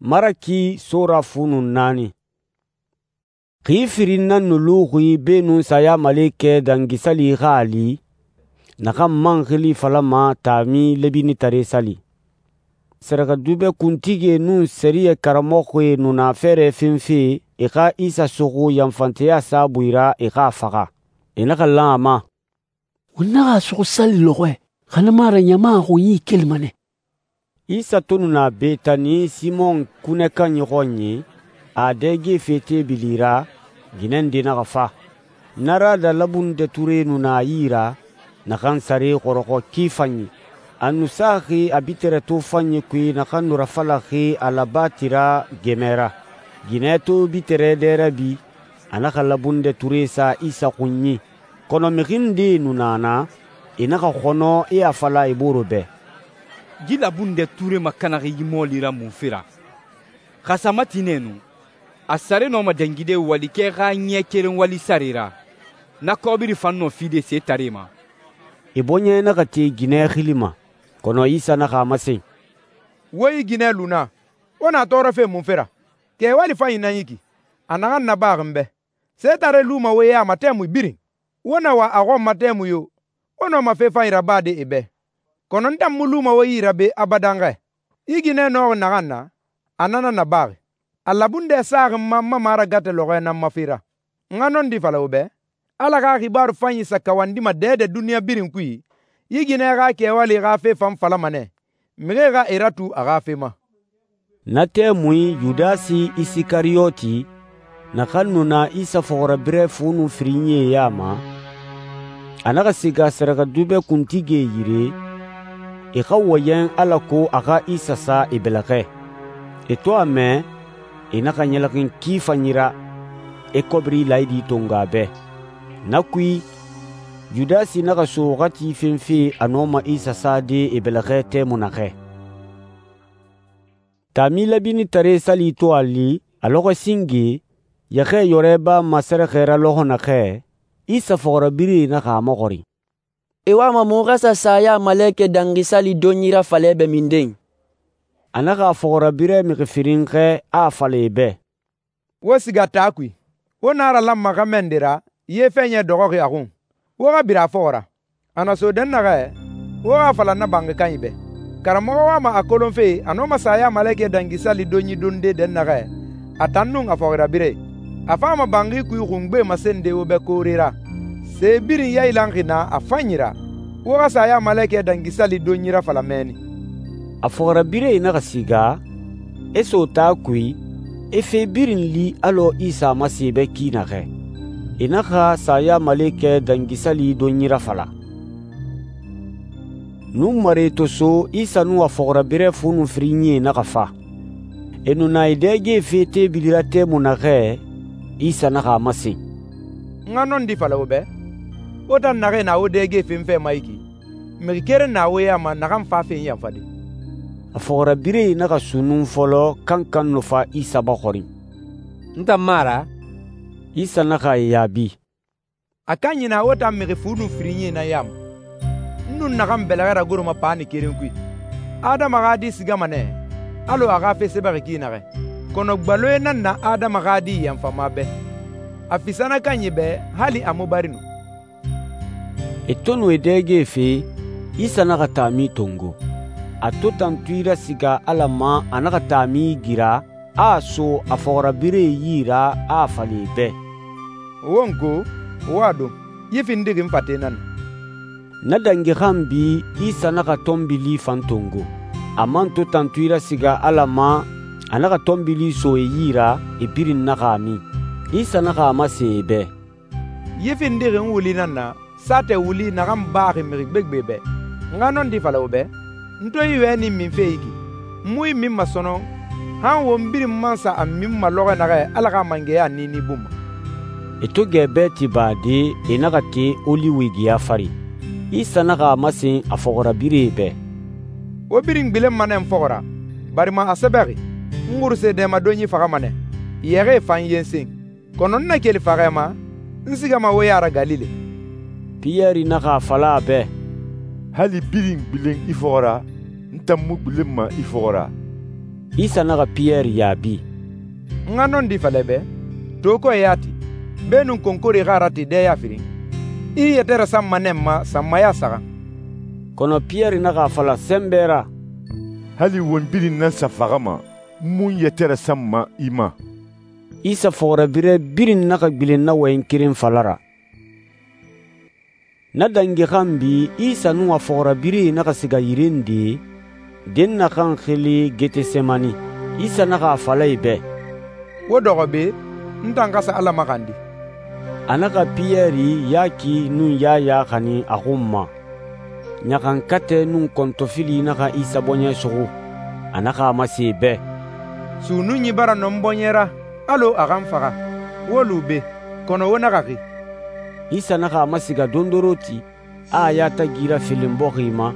Maraki sora fu nun naani. Xi firin nan nu luxi beenun Sayamalekɛ Dangisali xa a li, naxan man xili falama taami Lebinitare Sali. Sɛrɛxɛdubɛ kuntigie nun sɛriyɛ karamɔxɔe nu na fɛɛrɛ fenfe e xa Isa suxu yanfanteya saabui ra e xa a faxa. E naxa lan a ma, «Won naxa a suxu sali lɔxɔɛ, xa na mu a ra ɲama xunyi kelima nɛ.» Isa to nu na Betani Simɔn kunɛ kanyi xɔnyi, a dɛgefe teebili ra, ginɛ nde naxa fa. Narada labundɛ ture nu na a yi ra, naxan sare xɔrɔxɔ ki fanyi. A nu saxi a bitɛrɛ to fanyi kui naxan nu rafalaxi alabati ra gɛmɛ ra. Ginɛ to bitɛrɛ dɛ rabi, a naxa labundɛ ture sa Isa xunyi. Kɔnɔ mixi ndee nu na na, e naxa xɔnɔ e a fala e bore bɛ, «Yi labundɛ ture makanaxi yi mɔɔli ra munfe ra? Xa sa mati nɛ nu, a sare nɔma dangide walikɛ xa ɲɛ keren wali sare ra, na kɔbiri fan nɔ fide setare ma.» E bɔɲɛ naxa te ginɛ xili ma. Kɔnɔ Isa naxa a masen, «Wo yi ginɛ lu na, wo na tɔɔrɔfe munfe ra? Kɛ wali fanyi nan yi ki, a naxan nabaxi n bɛ. Setare luma wo ya ma tɛmui birin. Wo na wa a xɔn ma tɛmui yo, wo nɔma fe fanyi rabade e bɛ. Kɔnɔ n tan mu luma wo yi ra be abadan xɛ. Yi ginɛ nɔxi naxan na, a na nan nabaxi. A labundɛ saxi n ma n ma maragatɛ lɔxɔɛ nan ma fe ra. N xa nɔndi fala wo bɛ, Ala xa xibaaru fanyi sa kawandima dɛdɛ duniɲa birin kui, yi ginɛ xa kɛwali xa fe fan falama nɛ, mixie xa e ratu a xa fe ma.» Na tɛmui Yudasi Isikariyoti, naxan nu na Isa fɔxirabirɛ fu nun firinyie ya ma, a naxa siga sɛrɛxɛdubɛ kuntigie yire, e xa wɔyɛn alako a xa Isa sa e bɛlɛxɛ. E to a mɛ, e naxa ɲɛlɛxin ki fanyi ra, e kɔbiri laayidi tongo a bɛ. Na kui, Yudasi naxa so waxati fenfe a nɔma Isa sade e bɛlɛxɛ tɛmui naxɛ. Taami Lebinitare Sali to a li, a lɔxɔ singe, yɛxɛ yɔrɛ ba masɛrɛxɛ ra lɔxɔ naxɛ, Isa fɔxirabirɛe naxa a maxɔrin, «E wama muxu xa sa Sayamalekɛ Dangisali donyi rafala bɛ minden?» A naxa a fɔxirabirɛ mixi firin xɛ, a a fala e bɛ, «Wo siga taa kui, wo na ralanma xa mɛnde ra, ye fɛɲɛ dɔxɔxi a xun. Wo xa bira a fɔxɔ ra. A na so dɛnnaxɛ, wo xa a fala na banxi kanyi bɛ. Karamɔxɔ wama a kolonfe a nɔma Sayamalekɛ Dangisali donyi donde dɛnnaxɛ, a tan nun a fɔxirabirɛe. A fama banxi kui xungbe masende wo bɛ koore ra. Se birin yailanxi na a fanyi ra, wo xa Sayamalekɛ Dangisali donyi rafala mɛnni.» A fɔxirabirɛe naxa siga, e so taa kui, e fe birin li alɔ Isa a masen bɛ ki naxɛ. E naxa Sayamalekɛ Dangisali donyi rafala. Nunmare to so, Isa nun a fɔxirabirɛ fu nun firinyie naxa fa. E nu na e dɛgefe teebili ra tɛmui naxɛ, Isa naxa a masen, «N xa nɔndi fala wo bɛ, wo tan naxee na wo dɛgefen fɛ ma yi ki, mixi keren na wo ya ma naxan fafen yanfade.» A fɔxirabirɛe naxa sunnun fɔlɔ kankan nu fa Isa baxɔrin. «N tan mu a ra?» Isa naxa e yaabi, «A kanyi na wo tan mixi fu nun firinyie nan ya ma. N nun naxan bɛlɛxɛ ragoroma paani keren kui. Adama xa Di sigama nɛ, alɔ a xa fe sɛbɛxi ki naxɛ. Kɔnɔ gbaloe nan na Adama xa Di yanfama bɛ. A fisa na kanyi bɛ hali a mu bari nu.» E to nu e dɛgefe, Isa naxa taami tongo. A to tantui rasiga Ala ma, a naxa taami gira, a so a fɔxirabirɛe yi ra, a a fala e bɛ, «Wo n ko, wo a don, yi findixi n fate nan na.» Na dangi xanbi, Isa naxa tɔnbili fan tongo. A man to tantui rasiga Ala ma, a naxa tɔnbili so e yi ra, e birin naxa a min. Isa naxa a masen e bɛ, «Yi findixi n wuli nan na, saatɛ wuli naxan baxi mixi gbegbe bɛ. N xa nɔndi fala wo bɛ, n to yi wɛni minfe yi ki, n mu yi min masɔnɔ, han won birin man sa a min ma lɔxɔ naxɛ Ala xa mangɛya niini bun ma.» E to gɛbɛ ti bade, e naxa te Oliwigiya fari. Isa naxa a masen a fɔxirabirɛe bɛ, «Wo birin gbilenma nɛ n fɔxɔ ra, barima a sɛbɛxi, n xuruse dɛmadonyi faxama nɛ, yɛxɛɛ fan yensen. Kɔnɔ n na keli faxɛ ma, n sigama wo ya ra Galile.» Piyɛri naxa a fala a bɛ, «Hali birin gbilen i fɔxɔ ra, n tan mu gbilenma i fɔxɔ ra.» Isa naxa Piyɛri yaabi, «N xa nɔndi fala i bɛ, to kɔɛ yati, beenun konkore xa a rate dɛya firin, i i yɛtɛ rasanma nɛ n ma sanmaya saxan.» Kɔnɔ Piyɛri naxa a fala sɛnbɛ ra, «Hali won birin nan sa faxama, n mu n yɛtɛ rasanma i ma.» Isa fɔxirabirɛ birin naxa gbilen na wɔyɛn keren fala ra. Na dangi xanbi Isa nun a fɔxirabirɛe naxa siga yire nde, den naxan xili Getesemani. Isa naxa a fala e bɛ, «Wo dɔxɔ be, n tan xa sa Ala maxandi.» A naxa Piyɛri, Yaki nun Yaya xanin a xun ma. Ɲaxankatɛ nun kɔntɔfili naxa Isa bɔɲɛ suxu. A naxa a masen e bɛ, «Sunnunyi bara nɔ n bɔɲɛ ra, alɔ a xa n faxa. Wo lu be, kɔnɔ wo naxa xi.» Isa naxa a masiga dondoroti, a yatagi rafelen bɔxi ma,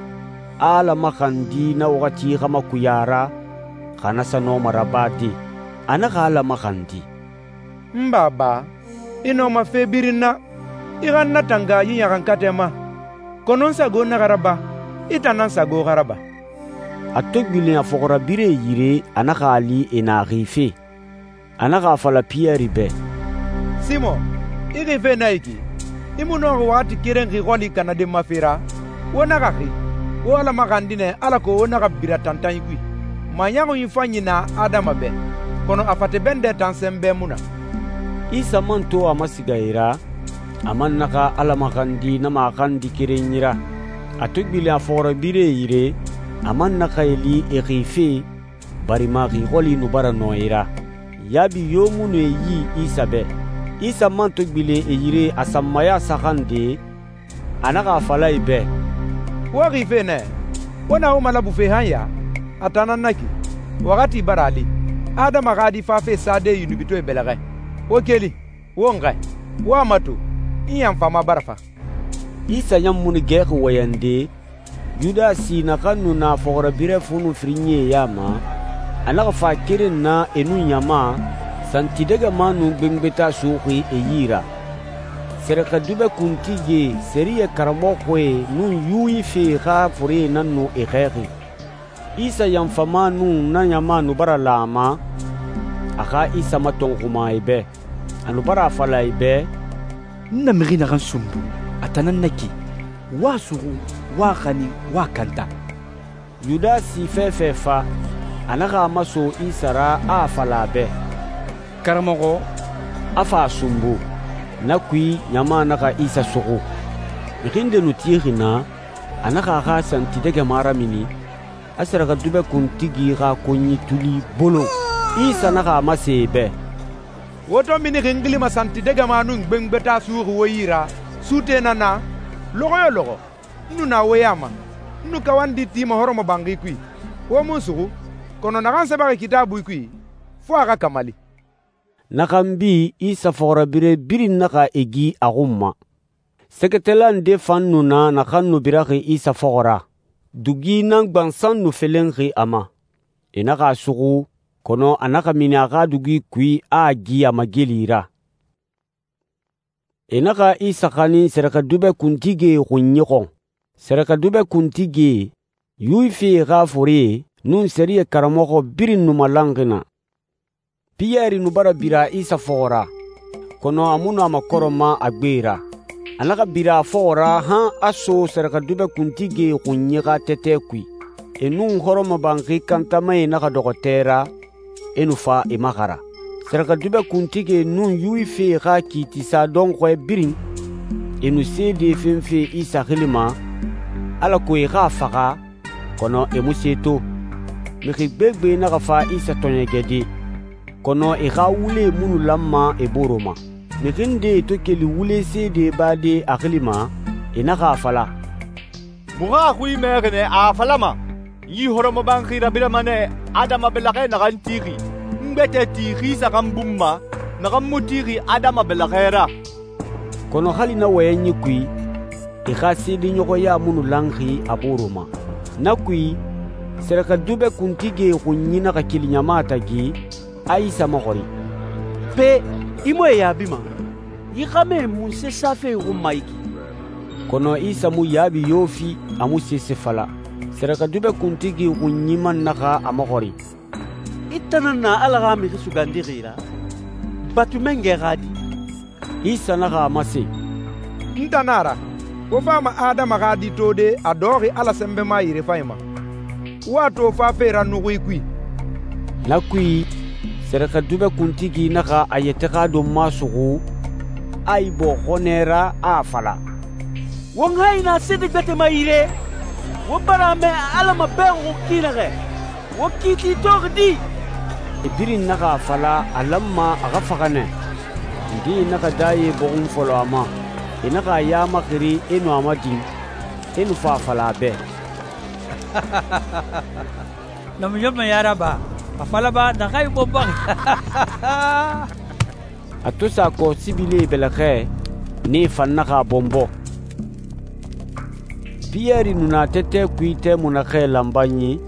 a Ala maxandi na waxati xa makuya ra, xa na sa nɔma rabade. A naxa Ala maxandi, «N baba, i nɔma fe birin na. I xa n natanga yi ɲaxankatɛ ma. Kɔnɔ n sago naxa raba, i tan nan sago xa raba.» A to gbilen a fɔxirabirɛe yire, a naxa a li e na xife. A naxa a fala Piyɛri bɛ, «Simɔn, i xife na yi ki? I mu nɔxi waxati keren xi xɔli kanaden ma fe ra? Wo naxa xi. Wo Ala maxandi nɛ alako wo naxa bira tantanyi kui. Maɲɔxunyi fanyi na adama bɛ, kɔnɔ a fate bɛndɛ tan sɛnbɛ mu na.» Isa man to a masiga e ra, a man naxa Ala maxandi na maxandi kerenyi ra. A to gbilen a fɔxirabirɛe yire, a man naxa e li e xife, barima xi xɔli nu bara nɔ e ra. Yaabi yo mu nu e yi Isa bɛ. Isa man to gbilen e yire a sanmaya saxan de, a naxa a fala e bɛ, «Wo xife nɛ, wo na wo malabufe han ya? A tan nan na ki. Waxati bara a li, Adama xa di fafe sade yunubitɔɛ bɛlɛxɛ. Wo keli, wo n xɛ, wo a mato, n yanfama bara fa.» Isa ɲan munu gɛxi wɔyɛnde, Yudasi naxan nu na fɔxirabirɛ funu firinyie ya ma, a naxa fa keren na e nun ɲama, santidɛgɛma nun gbengbeta suxi e yi ra. Sɛrɛxɛdubɛ kuntigie, sɛriyɛ karamɔxɔe nun Yuwife xa fure nan nu e xɛɛxi. Isa yanfama nun na ɲama nu bara la a ma, a xa Isa matɔnxuma e bɛ. A nu bara a fala e bɛ, N na mixi naxan sunbu, a tan nan na ki. Wa suxu, wa xanin, wa kanta. Yudasi fɛfɛ fa, a naxa a maso Isa ra a fala a bɛ, Karamɔxɔ, a fa a sunbu. Na kui ɲama naxa Isa suxu. Mixi nde nu tixi na, a naxa a xa santidɛgɛma ramini, a sɛrɛxɛdubɛ kuntigi xa konyi tuli bolon. Isa naxa a masen e bɛ, «Wo to minixi n xilima santidɛgɛma nun gbengbeta suxi wo yi ra, sute na na? Lɔxɔ yo lɔxɔ, n nu na wo ya ma. N nu kawandi tima hɔrɔmɔbanxi kui. Wo mun suxu, kɔnɔ naxan sɛbɛxi kitaabui kui, fo a xa kamali.» Naxan bi Isa fɔxirabirɛ birin naxa e gi a xun ma. Sɛgɛtɛla nde fan nu na naxan nu biraxi Isa fɔxɔ ra. Dugi nan gbansan nu felenxi a ma. E naxa a suxu, kɔnɔ a naxa mini a xa dugi kui a a gi a mageli ra. E naxa Isa xanin sɛrɛxɛdubɛ kuntigie xunyi xɔn. Sɛrɛxɛdubɛ kuntigie, Yuwifie xa fure nun sɛriyɛ karamɔxɔ birin nu malanxi na. Piyɛri nu bara bira Isa fɔxɔ ra, kɔnɔ a mu nu a makɔrɔma a gbe ra. A naxa bira a fɔxɔ ra han a so sɛrɛxɛdubɛ kuntigie xunyi xa tɛtɛ kui. E nun hɔrɔmɔbanxi kantamae naxa dɔxɔ tɛ ra, e nu fa e maxara. Sɛrɛxɛdubɛ kuntigie nun Yuwifie xa kiitisa dɔnxɔɛ birin, e nu seede fenfe Isa xili ma, alako e xa a faxa, kɔnɔ e mu se to. Mixi gbegbe naxa fa Isa tɔɲɛgɛde, kɔnɔ e xa wule munu lanma e boro ma. Mixi nde to keli wule seede bade a xili ma, e naxa a fala, Muxu a xui mɛxi nɛ a falama, n yi hɔrɔmɔbanxi rabirama nɛ Adama bɛlɛxɛ naxan tixi, n gbɛtɛ tixi saxan bun ma, naxan mu tixi Adama bɛlɛxɛ ra. Kɔnɔ hali na wɔyɛnyi kui, e xa seedeɲɔgɔya munu lanxi a boro ma. Na kui, sɛrɛxɛdubɛ kuntigie xunyi naxa keli ɲama tagi, a Isa maxɔri, Pe, i mu e yaabima? Yi xame munse safe xun ma yi ki? Kɔnɔ Isa mu yaabi yo fi, a mu sese fala. Sɛrɛxɛdubɛ kuntigi xunyi man naxa a maxɔri, tan nan na Ala xa Mixi Sugandixi ra? Batu mangɛ xa di?» Isa naxa a masen, «N tan nan a ra, wo fama Adama xa di tode a dɔxɔxi Ala sɛnbɛma yirefanyi ma, wo a to fafe ra nuxui kui.» Na kui, sɛrɛxɛdubɛ kuntigi naxa a yɛtɛ xa donma suxu, a ibɔ xɔnɛ ra, a a fala, «Won hayi na sede gbɛtɛma yire? Wo bara a mɛ Ala mabɛxuxi ki naxɛ? Wo kiiti toxi di?» e birin naxa a fala a lanma a xa faxa nɛ. Ndee naxa daye bɔxun fɔlɔ a ma, e naxa a ya maxiri e nu a madin, e nu fa a fala a bɛ, Namiɲɔnmɛ yaraba, a falaba naxa i bɔnbɔn. a to sa kɔ sibile bɛlɛxɛ, nee fan naxa a bɔnbɔ. Piyɛri nu na tɛtɛ kui tɛmui naxɛ lanbanyi,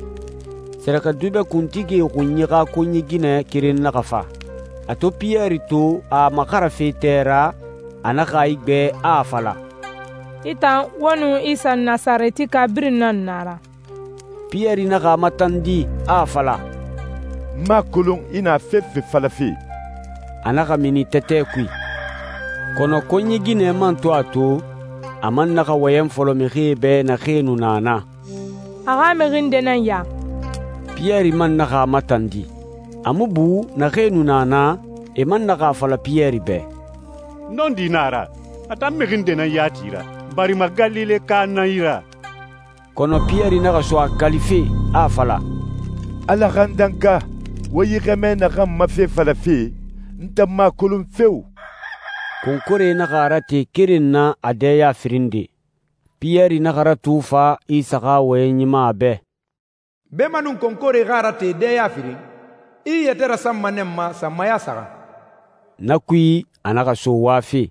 sɛrɛxɛdubɛ kuntigi xunyi xa konyi ginɛ keren naxa fa. A to Piyɛri to a maxarafe tɛ ra, a naxa a igbɛ a a fala, «I tan wo nun Isa Nasaretika birin nan na ra.» Piyɛri naxa a matandi a a fala, N m'a kolon i na fefe falafe. a naxa mini tɛtɛ kui. Kɔnɔ konyi ginɛ man to a to, a man naxa wɔyɛn fɔlɔ mixie bɛ naxee nu na na. A xa mixi nde nan ya. Piyɛri man naxa a matandi. A mu bu naxee nu na na, e man naxa a fala Piyɛri bɛ, Nɔndi na a ra, a tan mixi nde nan yati ra, barima Galile ka nan i ra. Kɔnɔ Piyɛri naxa so a kalife, a a fala, Ala xa n danka, wo yi xɛmɛ naxan ma fe falafe, n tan m'a kolon fewu. Konkore naxa a rate keren na a dɛya firin de. Piyɛri naxa ratu fa Isa xa wɔyɛn ɲima a bɛ. Bema nun konkore xa rate dɛya firin, i yɛtɛ rasanma nɛ ma sanmaya saxa. Na kui, a naxa so wafe.